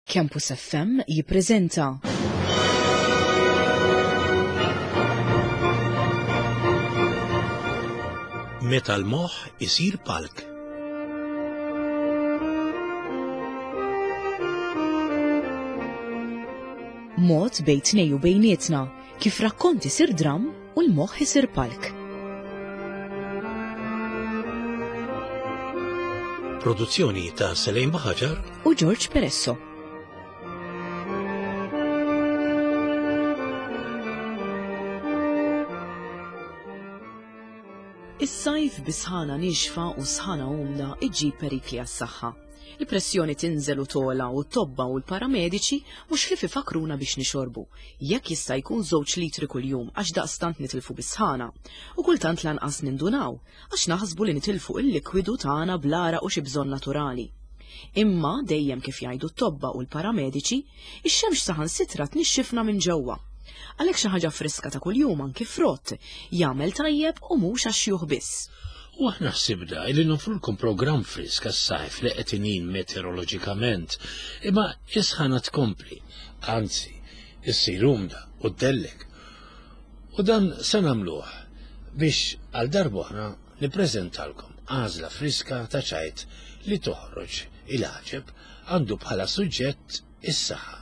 Campus FM jippreżenta. Meta l-moħħ isir palk. Mod bejn tnej u bejnietna kif rakkont isir dramm u l-moħħ isir palk. Produzzjoni ta' Selejn Baħaġar u George Peresso. Is-sajf bi sħana nixfa u sħana umda iġġib perikli għas-saħħa. Il-pressjoni tinżel u togħla u t-tobba u l-paramediċi mhux ħlief ifakkruna biex nixorbu, jekk jista' jkun żewġ litri kuljum għax daqstant nitilfu bis-sħana. U kultant lanqas nindunaw, għax naħsbu li nitilfu il-likwidu tagħna bl-għaraq u xi bżonn naturali. Imma, dejjem kif jgħidu t-tobba u l-paramediċi, ix-xemx saħansitra tnixxifna minn ġewwa. Għalhekk xi ħaġa friska ta' kuljum anki frott, jagħmel tajjeb u mhux għax-xjuħ biss. U aħna ħsibna li nofrulkom programm frisk għas-sajf li qed inin meteoroloġikament, imma is-sħana tkompli, anzi, issir umda u ddellek. U dan se nagħmluh biex għal darb'oħra nippreżentalkom għażla friska ta' ċajt li toħroġ il-għaġeb għandu bħala suġġett is-saħħa.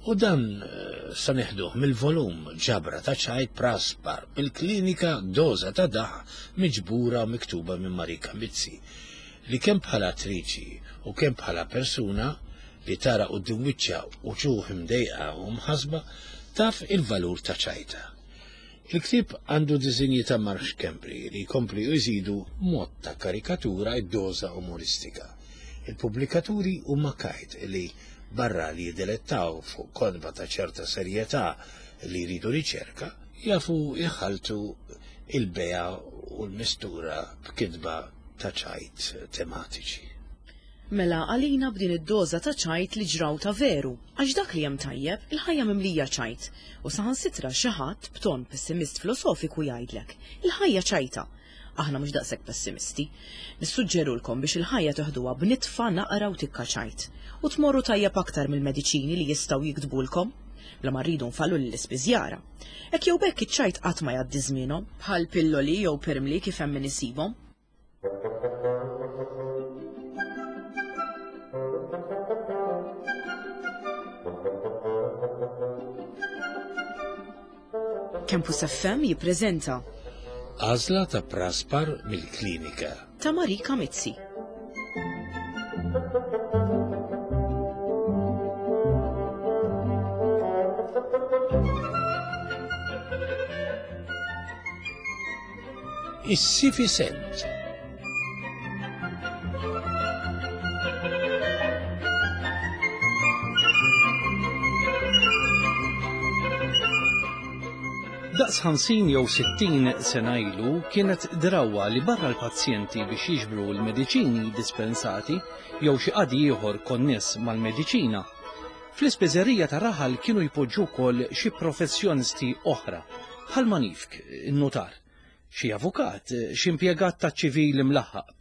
U dan eh, sa neħduh mill-volum ġabra ta' ċajt praspar mill-klinika doża ta' daħ miġbura u miktuba minn Marika Mizzi li kemm bħala attriċi u kemm bħala persuna li tara quddiem wiċċha uċuħ imdejqa u mħasba taf il-valur ta' ċajta. Il-ktieb għandu disinji ta' Mark Schembri li jkompli u jżidu mod ta' karikatura id-doża umoristika. Il-pubblikaturi huma Kite li barra li jidilettaw fuq kotba ta' ċerta serjetà li jridu riċerka, jafu jħalltu il-bejgħa u l-mistura b'kitba ta' ċajt tematiċi. Mela għalina b'din id-doża ta' ċajt li ġraw ta' veru, għax dak li hemm tajjeb, il-ħajja mimlija ċajt, u saħansitra xi ħadd b'ton pessimist filosofiku jgħidlek, il-ħajja ċajta. Aħna mhux daqshekk pessimisti. Nissuġġerulkom biex il-ħajja teħduha b'nitfa naqra u tikka ċajt. U tmorru tajjeb aktar mill-mediċini li jistgħu jiktbulkom. Bla ma rridu nfallu lill-ispiżjara. Hekk jew b'hekk iċ-ċajt qatt ma jgħaddi żmienhom, bħal pilloli jew pirmli kif hemm min isibhom. Campus FM jippreżenta Għażla ta' praspar mill-klinika. Ta' Marika Mizzi. Is-sifisent. Daqs 50 jew 60 sena ilu kienet drawwa li barra l-pazjenti biex jiġbru l-mediċini dispensati jew xi qadi ieħor konness mal-mediċina, fl-ispiżerija ta' raħal kienu jpoġġu wkoll xi professjonisti oħra bħal manifk, in-nutar, xi avukat, xi impjegat taċ-ċivil imlaħħaq,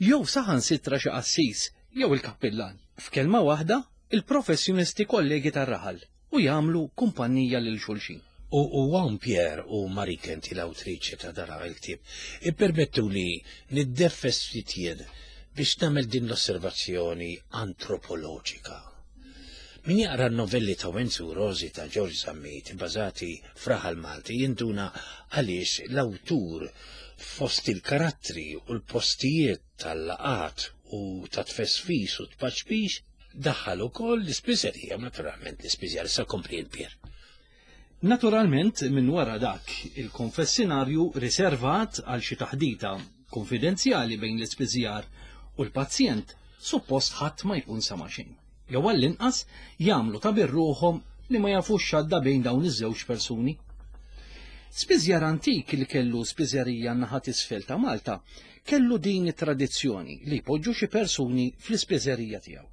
jew saħansitra xi qassis jew il-kappillan. F'kelma waħda, il-professjonisti kollegi tar-raħal u jagħmlu kumpanija lil xulxin. U u hawn Pierre u Marike inti l-awtriċi ta' dan il-ktieb, ippermettuli niddeffes ftit jien biex nagħmel din l-osservazzjoni antropoloġika. Min jaqra n-novelli ta' Wenzu Rosi ta' George Zammit ibbażati f'raħal Malti jinduna għaliex l-awtur fost il-karattri u l-postijiet tal-laqgħat u ta' tfesfis u tpaċpix daħħal ukoll l-ispiżerija u naturalment l-ispiżjar. Issa kompli int Pier. Naturalment minn wara dak il-konfessinarju riservat għal xi taħdita konfidenzjali bejn l-ispiżjar u l-pazjent suppost ħadd ma jkun sema' xejn. Jew għall-inqas jagħmlu ta' bir-ruħhom li ma jafux x'għadda bejn dawn iż-żewġ persuni. Spiżjar antik li kellu spiżerija n-naħa t'isfel ta' Malta kellu din it-tradizzjoni li jpoġġu xi persuni fl-ispiżerija tiegħu.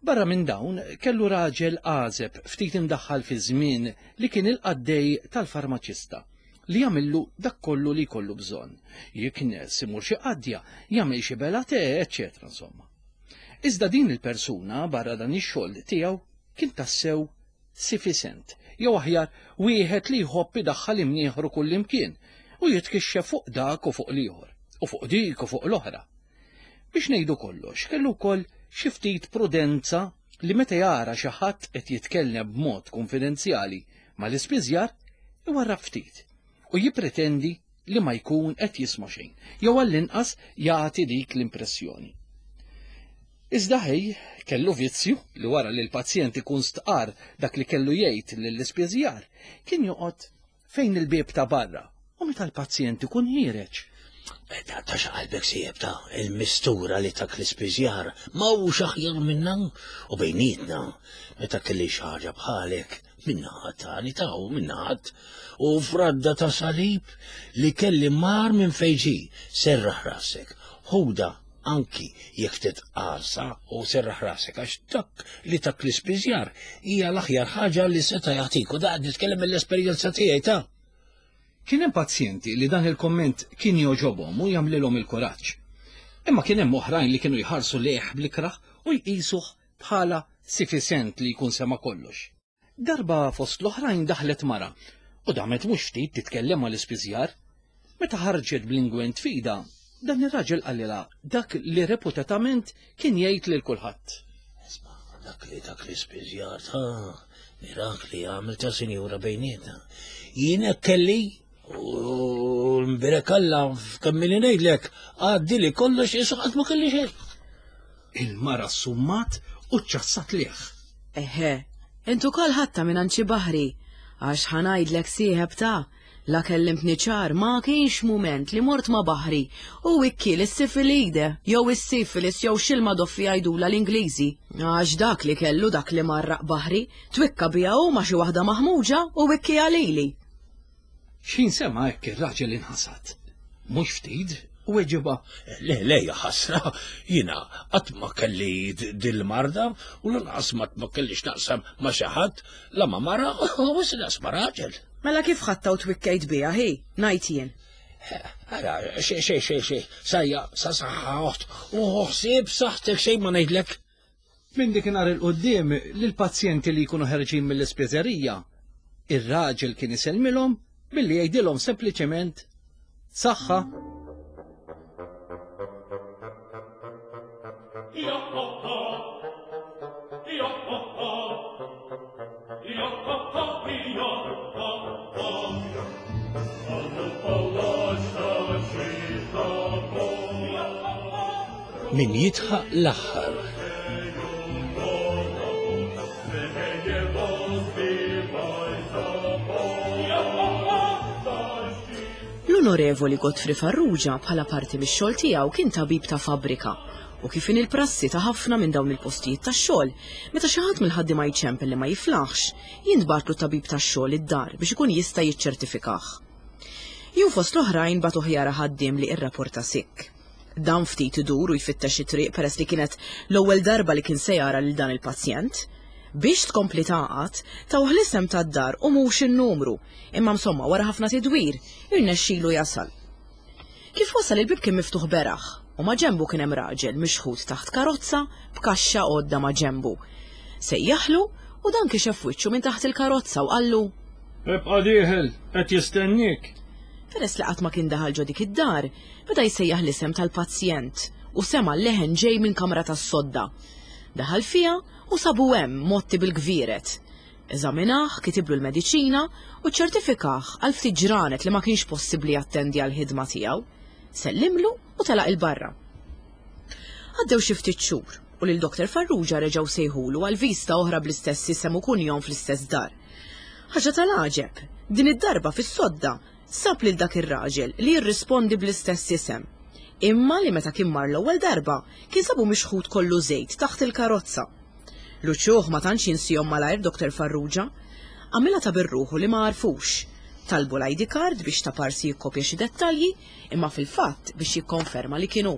Barra minn dawn, kellu raġel għażeb ftit imdaħħal fiż-żmien li kien il-qaddej tal-farmaċista li jagħmillu dak kollu li jkollu bżonn. Jiknes, imur xi qadja, jagħmel xi bela te, eċċetera insomma. Iżda din il-persuna barra dan ix-xogħol tiegħu kien tassew sifisent, jew aħjar wieħed li jħobb idaħħal imnieħru kullimkien u jitkixxef fuq dak u fuq l-ieħor, u fuq dik u fuq l-oħra. Biex ngħidu kollox, kellu wkoll xi ftit prudenza li meta jara xi ħadd qed jitkellem b'mod kunfidenzjali mal-ispiżjar, iwarrab ftit u jippretendi li ma jkun qed jisma' xejn, jew għall-inqas jagħti dik l-impressjoni. Iżda ħej, kellu vizzju li wara li l-pazjent ikun stqarr dak li kellu jgħid lill-ispiżjar, kien joqgħod fejn il-bieb ta' barra u meta l-pazjent ikun ħiereġ. Ta' ta' xaqalbek sieb ta' il-mistura li tak l-ispiżjar ma hux aħjar minna u bejnietna meta kelli xi ħaġa bħalek minna tani ta' u minna ħadd u fradda ta' salib li kelli mar minn fejn ġie serraħ rasek ħuda anki jekk ftit qarsa u serraħ rasek għax dak li tak l-ispiżjar hija l-aħjar ħaġa li seta' jagħtik u daqt nitkellem mill-esperjenza tiegħi ta' Kien hemm pazjenti li dan il-komment kien jogħġobhom u jagħmlilhom il-kuraġġ. Imma kien hemm oħrajn li kienu jħarsu lejh bl-ikrah u jqisuh bħala sifisent li jkun sema' kollox. Darba fost l-oħrajn daħlet mara u damet mhux ftit titkellem mal-ispiżjar. Meta ħarġet bl-ingwent f'idha, dan ir-raġel qalilha dak li reputatament kien jgħid lil kulħadd. Isma' dak li dak l-ispiżjar ta' mirakli għamel ta' sinjura bejnietna. Jien hekk kelli u mbirek Alla f'kemm ili ngħidlek għaddi li kollox isu qatt ma kelli xejn. Il-mara ssummat u ċċassat lih. Eħe, int ukoll ħadtha mingħand xi baħri, għax ħa ngħidlek sieħeb ta' la kellimtni ċar ma kienx mument li mort ma' baħri u wikkiel is-sifilide jew is-sifilis jew x'ilma doffi jgħidulha l-Ingliżi. Għax dak li kellu dak li marraq baħri, twikka biha hu ma' xi waħda maħmuġa u wikkiha lili. X'ħin sema' hekk ir-raġel inħasad. Mhux ftit, weġibha. Le, le, ja ħasra, jiena qatt ma kelli dil-marda u lanqas ma ma kelli x'naqsam ma' xi ħadd, la ma' mara u lanqas ma' raġel. Mela kif ħadtha u twikkejt biha, hi, ngħid jien. Ara, xej, xej, xej, xej, sajja, sa saħħa oħt, u ħsieb saħħtek xejn ma ngħidlek. Minn dikinhar 'il quddiem, lill-pazjenti li jkunu ħerġin mill-ispiżerija, ir-raġel kien isellmilhom billi jgħidilhom sempliċement Saħħa! Min jidħaq l-aħħar. L-Onorevoli Godfrey Farrugia bħala parti mix-xogħol tiegħu kien tabib ta' fabbrika u kif inhi l-prassi ta' ħafna minn dawn il-postijiet tax-xogħol, meta xi ħadd mill-ħaddiema jċempel li ma jiflaħx, jintbagħatlu tabib tax-xogħol id-dar biex ikun jista' jiċċertifikah. Jum fost l-oħrajn bagħtuh jara ħaddiem li irrapporta sikk. Dan ftit idur u jfittex it-triq peress li kienet l-ewwel darba li kien se jara lil dan il-pazjent. Biex tkompli tagħqad, tawh l-isem tad-dar u mhux in-numru, imma msomma wara ħafna tidwir, irnexxilu jasal. Kif wasal il-bieb kien miftuħ beraħ u maġenbu kien hemm raġel mixħut taħt karozza b'kaxxa għodda maġenbu. Sejjaħlu u dan kixef wiċċu minn taħt il-karozza u qallu. Ibqa' dieħel, qed jistenniek. Peress li qatt ma kien daħal ġo dik id-dar, Beda jsejjaħ l-isem tal-pazjent u sema' leħen ġej minn kamra tas-sodda. Daħal fiha u sabu hemm mgħotti bil-gvieret. Eżaminah, kitiblu l-mediċina u ċċertifikah għal ftit ġranet li ma kienx possibbli jattendi għall-ħidma tiegħu. Sellimlu u telaq 'il barra. Għaddew xi ftit xhur u lil Doctor Farrugia reġgħu sejħulu għal viżta oħra bl-istess isem u kunjom fl-istess dar. Ħaġa tal-għaġeb, din id-darba fis-sodda Sab lil dak ir-raġel li jirrispondi bl-istess isem, imma li meta kien mar l-ewwel darba kien sabu mixħut kollu żejt taħt il-karozza. L-uċuħ ma tantx jinsihom malajr Doctor Farrugia. Għamilha ta' bir-ruħu li ma għarfux. Talbu l-ID card biex ta' parsi jikkopja xi dettalji, imma fil-fatt biex jikkonferma li kien hu.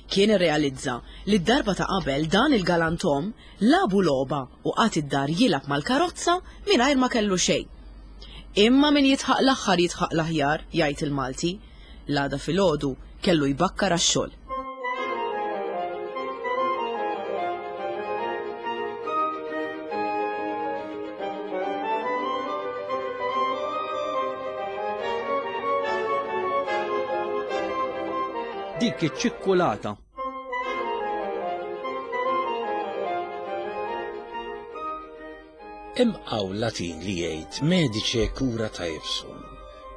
Kien irrealizza li d-darba ta' qabel dan il-galantom lagħbu logħba u qagħad id-dar jilgħab mal-karozza mingħajr ma kellu xejn. Imma min jidħaq l-aħħar jidħaq l-aħjar, jgħid il-Malti. L-għada filgħodu kellu jbakkar għax-xogħol. dik iċ-ċikkulata. Hemm qawl Latin li jgħid medice cura taipsum,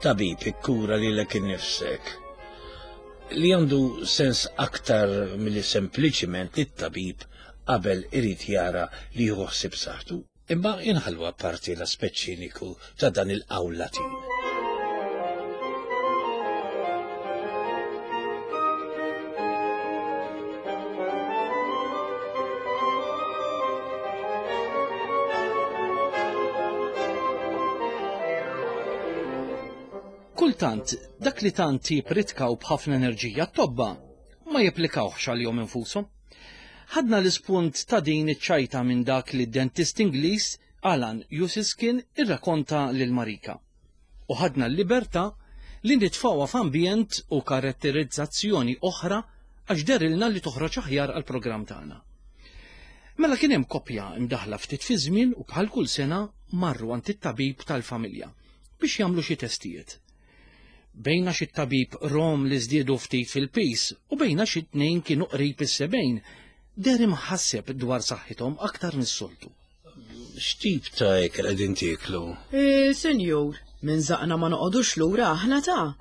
tabib ikkura lilek innifsek, li għandu sens aktar milli sempliċiment li t-tabib qabel irid jara li jieħu ħsieb saħħtu. Imma inħallu apparti l-aspett ċiniku ta' dan il-qawl Latin. Kultant, dak li tant jipritkaw b'ħafna enerġija t-tobba ma jipplikawhx għalihom infushom. Ħadna l-ispunt ta' din iċ-ċajta minn dak li d-dentist Ingliż Alan Usiskin irrakonta lil Marika. U ħadna l-libertà li nitfgħuha f'ambjent u karatterizzazzjoni oħra għax dehrilna li toħroġ aħjar għall-programm tagħna. Mela kien hemm koppja mdaħħla ftit fiż-żmien u bħal kull sena marru għand it-tabib tal-familja biex jagħmlu xi testijiet. Bejn għax it-tabib rom li żdiedu ftit fil-piż u bejn għax it-tnejn kienu qrib is-sebgħin, deher imħasseb dwar saħħithom aktar mis-soltu. X'tip ta' ikel qegħdin tieklu? Eh, senjur, minn żaqna ma noqogħdux lura aħna ta'.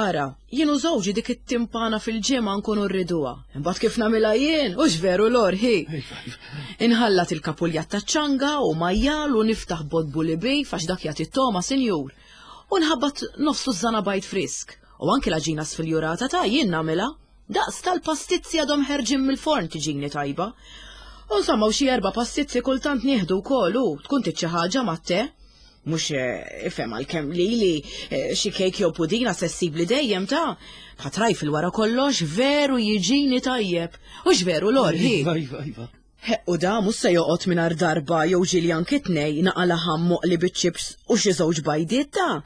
Ara, jien u żewġi dik it-timpana fil-ġimgħa nkunu rriduha. Imbagħad kif nagħmilha jien, hux veru lorħi. Iva, iva. Inħallat il-kapuljat taċ-ċanga u majjal u niftaħ bot bulibi għax dak jagħti t-togħma, sinjur. U nħabbat nofs tużżana bajd frisk. U anki l-għaġina sfiljurata ta' jien nagħmilha. Daqs tal-pastizzi għadhom ħerġin mill-forn tiġini tajba. U insomma u xi erba' pastizzi kultant nieħdu wkoll u tkun trid xi ħaġa mat-te. Mhux eh, ifhem għalkemm lili eh, xi kejk jew pudina se ssibli dejjem ta' bħat trajfil wara kollox veru jiġini tajjeb. Hux veru Lorhi? Iva, iva, iva. Ħeqq u da mhux se joqgħod mingħajr darba jew ġieli anki tnej naqa' laħam moqli biċ-ċips u xi żewġ bajdiet ta'.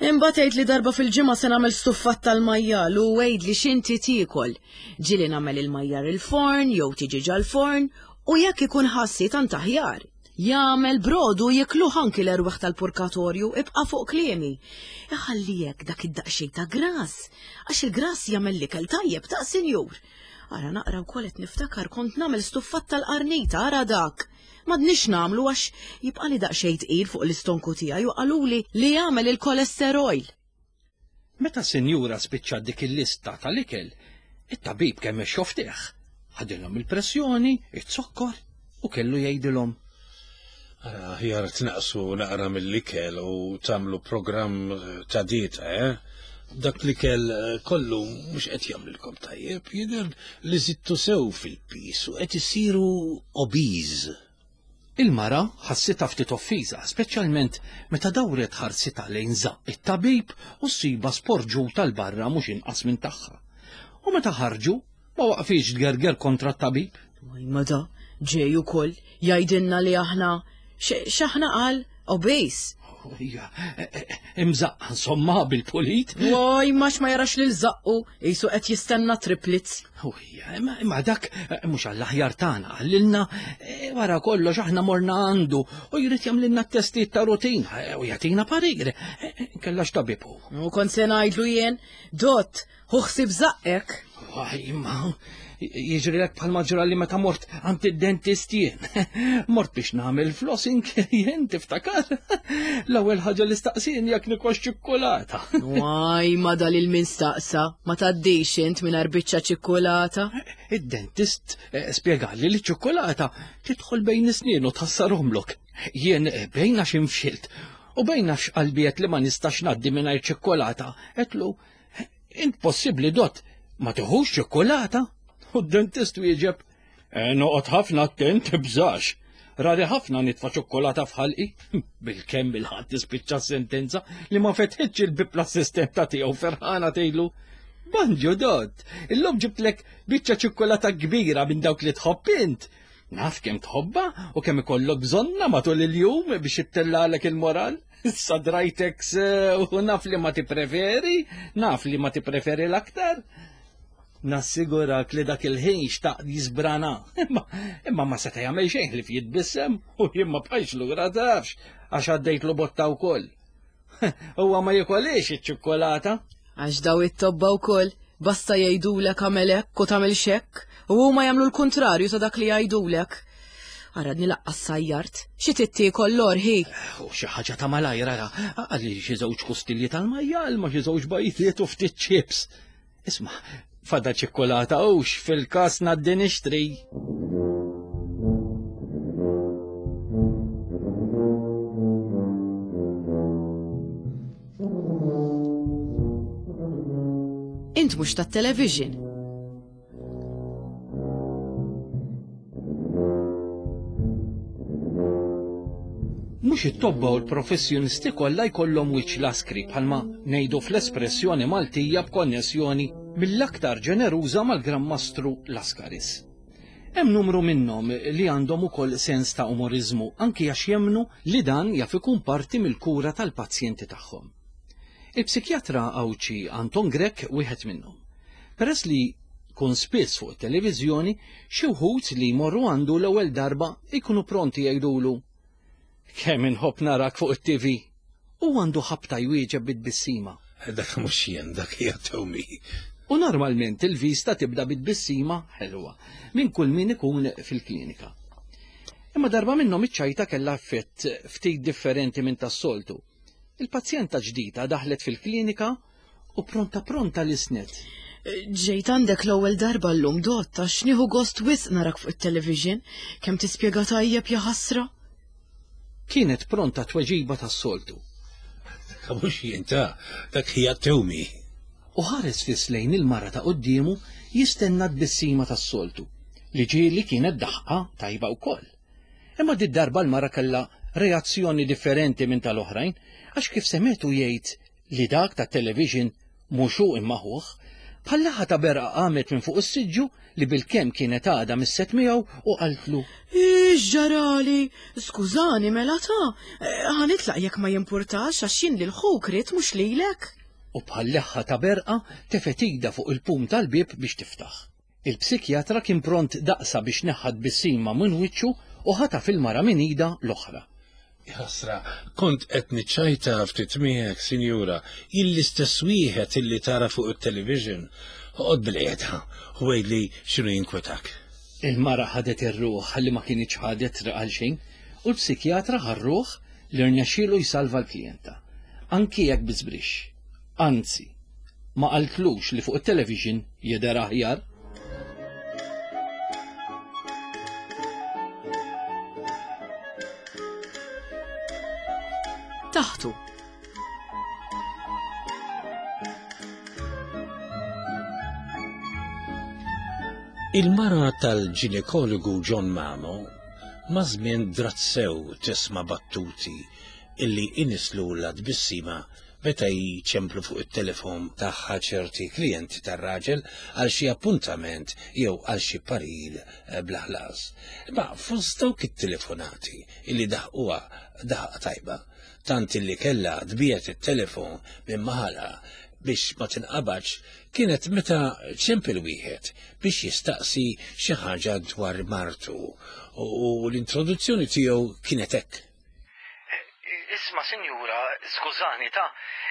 Imbagħad għid li darba fil-ġimgħa se nagħmel stuffat tal-majjal u għidli x'inti tiekol. Ġieli nagħmel il-majjar il-forn jew tiġi ġal-forn u jekk ikun ħassi tant aħjar. Jagħmel brodu jikluh anki l-erwieħ tal-purkatorju, ibqa' fuq kliemi. Iħalli hekk dak id-daqsxejn ta' grass, għax il-grass jagħmel l-ikel tajjeb ta' sinjur. Ara naqra wkoll qed niftakar kont nagħmel stuffat tal-qarnita, ara dak. M'għadniex nagħmlu għax jibqali daqsxejn tqil fuq l-istonku tiegħi u qaluli li jagħmel il-kolesterol. Meta s-sinjura spiċċat dik il-lista tal-ikel, it-tabib kemm xoftih. Ħadilhom il-pressjoni, iz-zokkor u kellu jgħidilhom. Ara aħjar tnaqqsu naqra mill-ikel u tagħmlu programm ta' dieta, eh? Dak l-ikel eh, kollu mhux qed jagħmlilkom tajjeb, jidher li żidtu sew fil-pis u qed issiru obese. Il-mara ħassitha ftit offiża, speċjalment meta dawret ħarsitha lejn żaqq it-tabib u ssibha sporġuta 'l barra mhux inqas minn tagħha. U meta ħarġu, Ma waqfitx tgerger kontra t-tabib. Imma da, ġej ukoll jgħidilna li aħna x'aħna qal obese. Ija, e, e, e, imżaqqa insomma bil-pulit. Waj, max ma jarax lil żaqqu, jisu qed jistenna triplets. Ija, imma dak mhux għall-aħjar tagħna qalilna wara kollox aħna morna għandu u jrid jagħmlilna t-testijiet ta' rutina u jagħtina parir. Kellha x'tabib hu. U kont se ngħidlu jien, dott, Ħu ħsieb żaqqek. Imma jiġrilek bħalma ġrali meta mort għand id-dentist jien. Mort biex nagħmel flossing jien tiftakar. L-ewwel ħaġa li staqsien jekk nikox ċikkulata. Waj, ma dal il-min staqsa, ma tgħaddix int mingħajr biċċa ċikkulata. Id-dentist eh, spjegali li ċ-ċikkulata tidħol bejn is-snien u tħassarhomlok. Jien eh, bejn għax infxilt u bejn għax qalbi li ma nistax ngħaddi mingħajr ċikkulata, għedtlu Int possibbli dott ma tiħux ċikkulata? U d-dentist wieġeb, e, noqgħod ħafna attent tibżax. Rari ħafna nitfa' ċokkolata f'ħalqi. Bil-kemm il-ħadd tispiċċa sentenza li ma fetħitx il-bib l-assistenta tiegħu ferħana tgħidlu. Banġu dott, illum ġibtlek biċċa ċikkulata kbira minn dawk li tħobb int. Naf kemm tħobba u kemm ikollok bżonna matul il-jum biex ittellalek il-moral. Issa drajtek u naf li ma tippreferi, naf li ma tippreferi l-aktar. Nassigurak li dak il-ħin xtaq jisbrana. Imma, imma ma seta' jagħmel xejn li jitbissem u jien ma bqajx lura tafx għax għaddejtlu botta wkoll. Huwa ma jikolix iċ-ċikkolata. Għax daw it-tobba wkoll. Basta jgħidulek għamel hekk u tagħmel xekk, u huma jagħmlu l-kuntrarju ta' dak li jgħidulek. Aradni laqqas sajjart, xi tittiekol l-orħi. U xi ħaġa ta' malajr ara, għalli xi żewġ kustilji tal-majjal ma xi żewġ bajtiet u ftit ċips. Isma', fada ċikkulata hux fil-każ ngħaddi nixtri. Int mhux tat-television. Mhux it-tobba u l-professjonisti kollha jkollhom wiċċ laskri bħalma ngħidu fl-espressjoni Maltija b'konnessjoni mill-aktar ġeneruża mal-Gran Mastru Lascaris. Hemm numru minnhom li għandhom ukoll sens ta' umoriżmu anki għax jemmnu li dan jaf ikun parti mill-kura tal-pazjenti tagħhom. Il-psikjatra Għawdxi Anton Grech wieħed minnhom. Peress li jkun spiss fuq it-televiżjoni, xi wħud li jmorru għandu l-ewwel darba jkunu pronti jgħidulu, Kemm inħobb narak fuq it-TV! U għandu ħabta jwieġeb bi tbissima. Dak mhux jien, dak hija Tommy. U normalment il-vista tibda bi tbissima ħelwa minn kull min ikun fil-klinika. Imma darba minnhom iċ-ċajta kellha effett ftit differenti minn tas-soltu. Il-pazjenta ġdida daħlet fil-klinika u pronta pronta lisnet. Ġejt għandek l-ewwel darba llum dott għax nieħu gost wisq narak fuq it-television, kemm tispjega tajjeb ja ħasra. Kienet pronta tweġiba tas-soltu. Dak mhux jien ta' dak hija Tewmi. U ħares fiss lejn il-mara ta' quddiemu jistenna tbissima tas-soltu, li ġieli kienet daħqa tajba wkoll. Imma did-darba l-mara kellha reazzjoni differenti minn tal-oħrajn għax kif semgħetu jgħid li dak tat-television mhux hu imma ħuh, bħal laħa ta' berqa qamet minn fuq is-siġġu li bilkemm kienet għadha misset miegħu u qaltlu. X'ġarali? Skużani mela ta, ħa nitlaq jekk ma jimpurtax għax jien lil ħuk ridt mhux lilek. U bħal leħħa ta' berqa tefgħet idha fuq il-pum tal-bieb biex tiftaħ. Il-psikjatra kien pront daqsha biex neħħa t-tbissima minn wiċċu u ħataf il-mara minn idha l-oħra. Jaħasra, kont qed niċċajta ftit miegħek, sinjura, jien l-istess wieħed illi tara fuq it-television. Oqgħod bilqiegħda u għidli x'inhu jinkwetak. Il-mara ħadet ir-ruħ li ma kinitx ħadet triq għal xejn u l-psikjatra ħa r-ruħ li rnexxielu jsalva l-klijenta, anki jekk bi żbrixx. Anzi, ma qaltlux li fuq it-television jidher aħjar. Taħtu. Il-mara tal-ġinekologu John Mamo ma' żmien drat sew tisma' battuti illi inislulha tbissima meta jċemplu fuq it-telefon tagħha ċerti klijenti tar-raġel għal xi appuntament jew għal xi parir eh, bla ħlas. Imma fost dawk it-telefonati illi daħquha daħqa tajba, tant illi kellha tbiegħed it-telefon minn maħalha biex ma tinqabadx kienet meta ċempel wieħed biex jistaqsi xi ħaġa dwar martu u l-introduzzjoni tiegħu kienet hekk. Isma' sinjura, skużani ta,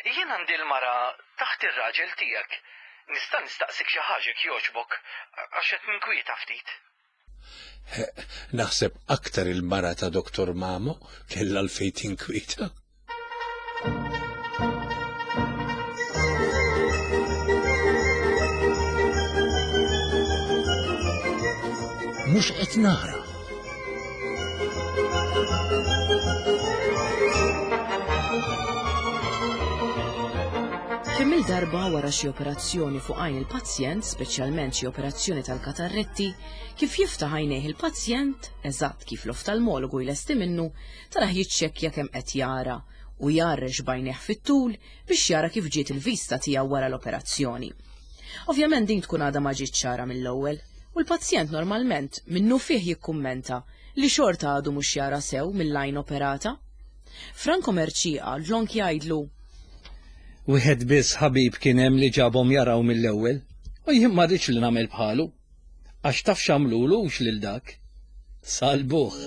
jien għandi l-mara taħt ir-raġel tiegħek. Nista' nistaqsik xi ħaġa jekk jogħġbok, għax qed ninkwieta ftit. Naħseb aktar il-mara ta' Dr. Mamo kellha l-fejn tinkwieta. Mhux qed nara. Kemm il-darba wara xi operazzjoni fuq għajn il-pazjent, speċjalment xi operazzjoni tal-katarretti, kif jiftaħ għajnejh il-pazjent, eżatt kif l-oftalmologu jlesti minnu, tarah jiċċekkja kemm qed jara u jgħarrex b'għajnejh fit-tul biex jara kif ġiet il-vista tiegħu wara l-operazzjoni. Ovvjament din tkun għadha ma ġietx ċara mill-ewwel, u l-pazjent normalment minnufih jikkummenta li xorta għadu mhux jara sew mill-għajn operata. Franco Mercieca dlonk jgħidlu. Wieħed biss ħabib kien hemm li ġabhom jaraw mill-ewwel, u jien ma rridx li nagħmel bħalu. Għax taf x'għamlulu hux lil dak. Salbuh.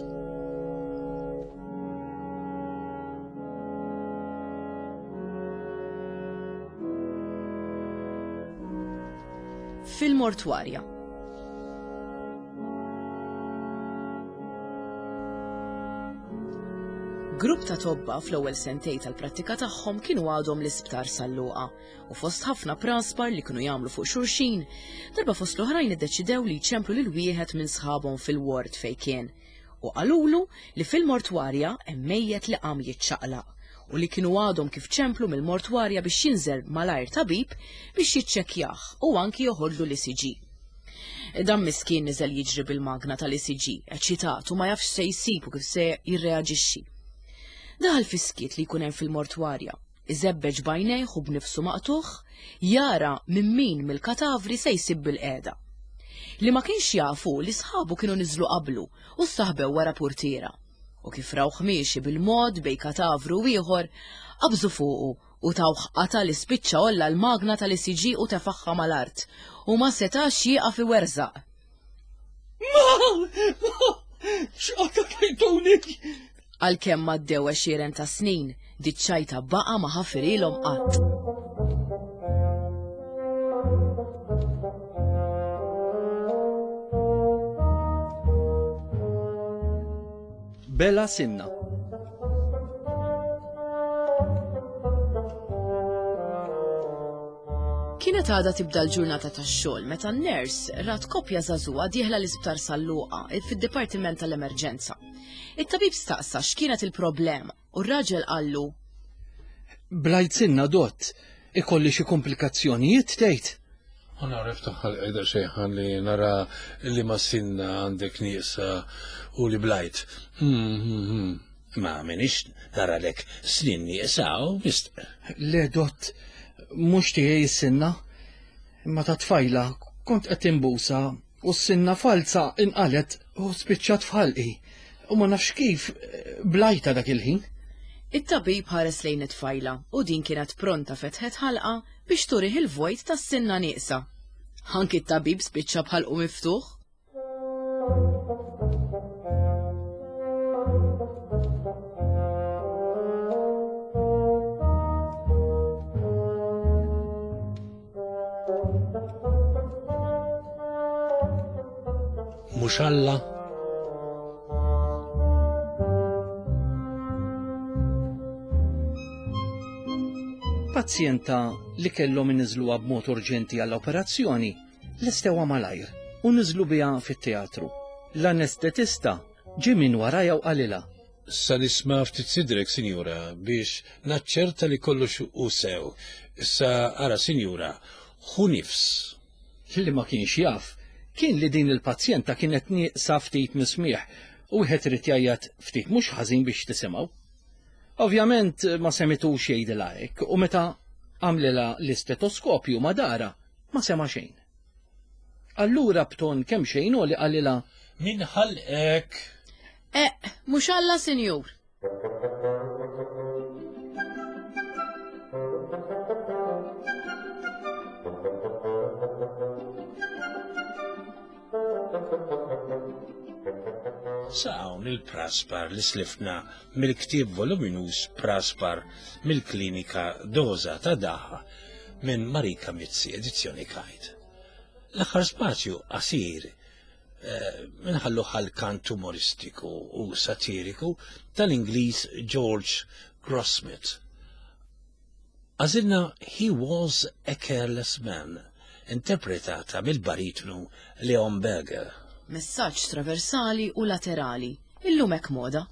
Il-mortwarja. Grupp ta' tobba fl-ewwel sentej tal-prattika tagħhom kienu għadhom l-isptar San Luqa u fost ħafna praspar li kienu jagħmlu fuq xulxin, darba fost l-oħrajn iddeċidew li jċemplu lil wieħed minn sħabhom fil-ward fejn kien u qalulu li fil-mortwarja hemm mejjet li qam jiċċaqlaq u li kienu għadhom kif ċemplu mill-mortwarja biex jinżel malajr tabib biex jiċċekkjah u anki joħodlu l-ECG. Dan miskin niżel jiġri bil-magna tal-ECG, eċitat u ma jafx se jsib u kif se jirreaġixxi. Daħal fis-skiet li jkun hemm fil-mortwarja, iżebbeġ b'għajnejh u b'nifsu maqtugħ, jara minn min mill-katavri se jsib bilqiegħda. Li ma kienx jaf hu li sħabu kienu niżlu qablu u staħbew wara purtiera. U kif rawh miexi bil-mod bejn katavru u ieħor, qabżu fuqu u tawh qatgħa li spiċċa għolla l-magna tal-ECG u tefagħha mal-art u ma setax jieqaf iwerżaq. Ma! Ma! X'qatgħa tajtuni! Għalkemm għaddew għexieren ta' snin, diċ-ċajta baqa' ma ħafirilhom qatt. Bela Sinna. Kienet għadha tibda l-ġurnata tax-xogħol meta n-ners rat koppja żagħżugħa dieħla l-Isptar San Luqa fid-Dipartiment tal-Emerġenza. It-tabib staqsa x'kienet il-problema u r-raġel qallu. Blajt sinna dott, ikolli xi komplikazzjonijiet tgħid? Ma nagħraf taħħal qiegħda xejħan li nara li ma sinna għandek nieqsa u li blajt. Hmm, hmm, hmm. Ma minix naralek snin nieqsa u mist. Le dott, mhux tiegħi s-sinna. Imma ta' tfajla kont qed imbusa U s-sinna falza inqalgħet u spiċċat f'ħalqi. U ma nafx kif blajtha dak il-ħin. It-tabib ħares lejn it-tfajla u din kienet pronta fetħet ħalqha biex turih il-vojt tas-sinna nieqsa. Anki t-tabib spiċċa b'ħalqu miftuħ. Mhux Alla? Pazjenta li kellhom iniżluha b'mod urġenti għall-operazzjoni lestewha malajr u niżlu biha fit-teatru. L-anestetista ġie minn warajha u qalilha. Sa nisma' ftit sidrek, sinjura, biex naċċerta li kollox hu sew. Issa ara, sinjura, ħu nifs. Li ma kienx jaf kien li din il-pazjenta kienet nieqsa ftit mis-smigħ u wieħed irid jgħajjat ftit mhux ħażin biex tisimgħu. Ovvjament ma semitux jgħidilha hekk u meta għamlilha l-istetoskopju ma dara ma sema' xejn. Allura b'ton kemxejn għoli qalilha. Min ħalqek? Eqq, mhux Alla, sinjur! Sa hawn il-praspar li slifna mill-ktieb voluminuż Praspar mill-Klinika Doża ta' Daħ minn Marika Mizzi, edizzjoni Kite. L-aħħar spazju qasir eh, minħallu għal kant umoristiku u satiriku tal-Ingliż George Grossmith. Għażilna He Was a Careless Man, interpretata mill-baritnu Leon Berger. Messaġġ traversali u laterali, illum hekk moda.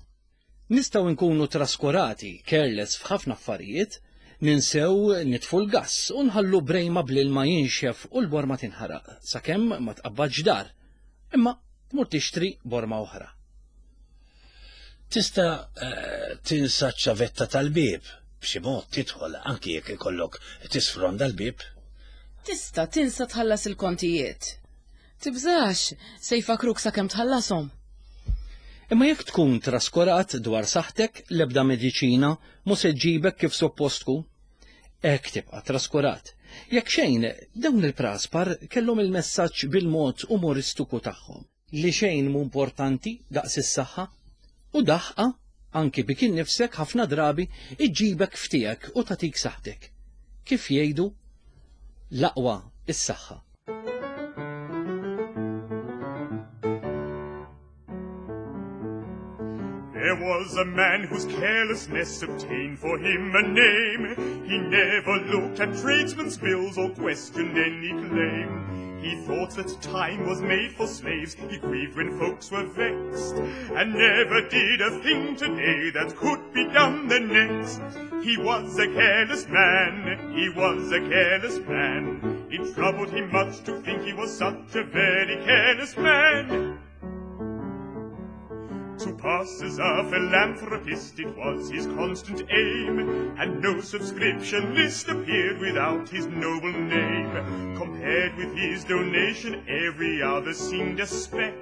Nistgħu nkunu traskurati, careless f'ħafna affarijiet, ninsew nitfu l-gass u nħallu brejma bl-ilma jinxef u l-borma tinħaraq sakemm ma tqabbadx dar. Imma tmur tixtri borma oħra. Tista' eh, tinsa ċ-ċavetta tal-bieb b'xi mod tidħol anki jekk ikollok tisfronda l-bieb. Tista' tinsa tħallas il-kontijiet. Tibżax, se jfakkruk sakemm tħallashom. Imma jekk tkun traskurat dwar saħħtek, l-ebda mediċina mhu se ġġibek kif suppost tkun. Hekk tibqa' traskurat. Jekk xejn, dawn il-praspar kellhom il-messaġġ bil-mod umoristiku tagħhom, li xejn mhu importanti daqs is-saħħa, u daħqa, anki bik innifsek ħafna drabi, iġġibek f'tiegħek u tagħtik saħħtek. Kif jgħidu, l-aqwa is-saħħa. There was a man whose carelessness obtained for him a name. He never looked at tradesmen's bills or questioned any claim. He thought that time was made for slaves, he grieved when folks were vexed, and never did a thing today that could be done the next. He was a careless man, he was a careless man. It troubled him much to think he was such a very careless man. To pass as a philanthropist it was his constant aim, and no subscription list appeared without his noble name. Compared with his donation, every other seemed a speck,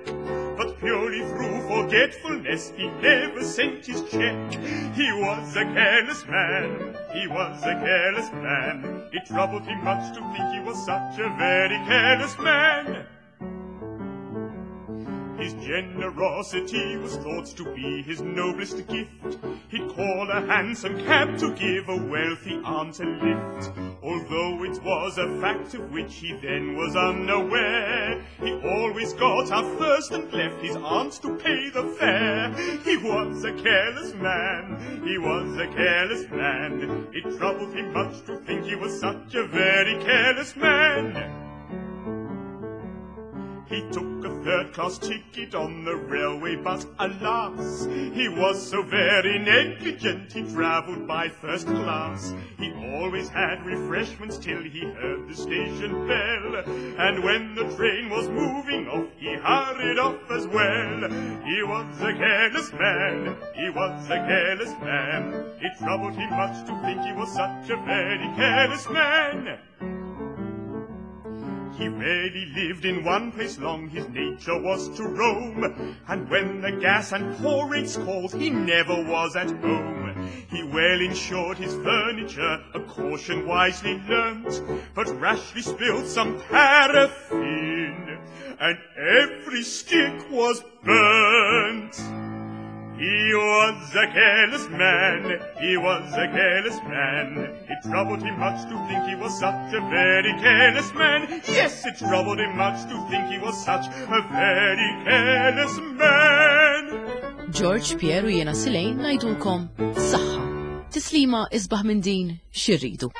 but purely through forgetfulness he never sent his check. He was a careless man, he was a careless man. It troubled him much to think he was such a very careless man. His generosity was thought to be his noblest gift. He'd call a hansom cab to give a wealthy aunt a lift. Although it was a fact of which he then was unaware, he always got out first and left his aunt to pay the fare. He was a careless man, he was a careless man. It troubled him much to think he was such a very careless man. He took a third-class ticket on the railway, but alas, he was so very negligent he travelled by first class. He always had refreshments till he heard the station bell, and when the train was moving off, he hurried off as well. He was a careless man, he was a careless man. It troubled him much to think he was such a very careless man. He rarely lived in one place long, his nature was to roam, and when the gas and poor rates called, he never was at home. He well insured his furniture, a caution wisely learnt, but rashly spilled some paraffin, and every stick was burnt. He was a careless man, he was a careless man. It troubled him much to think he was such a very careless man. Yes, it troubled him much to think he was such a very careless man. George, Pierre u jiena Silejn ngħidulkom saħħa. Tislima isbaħ minn din xi rridu.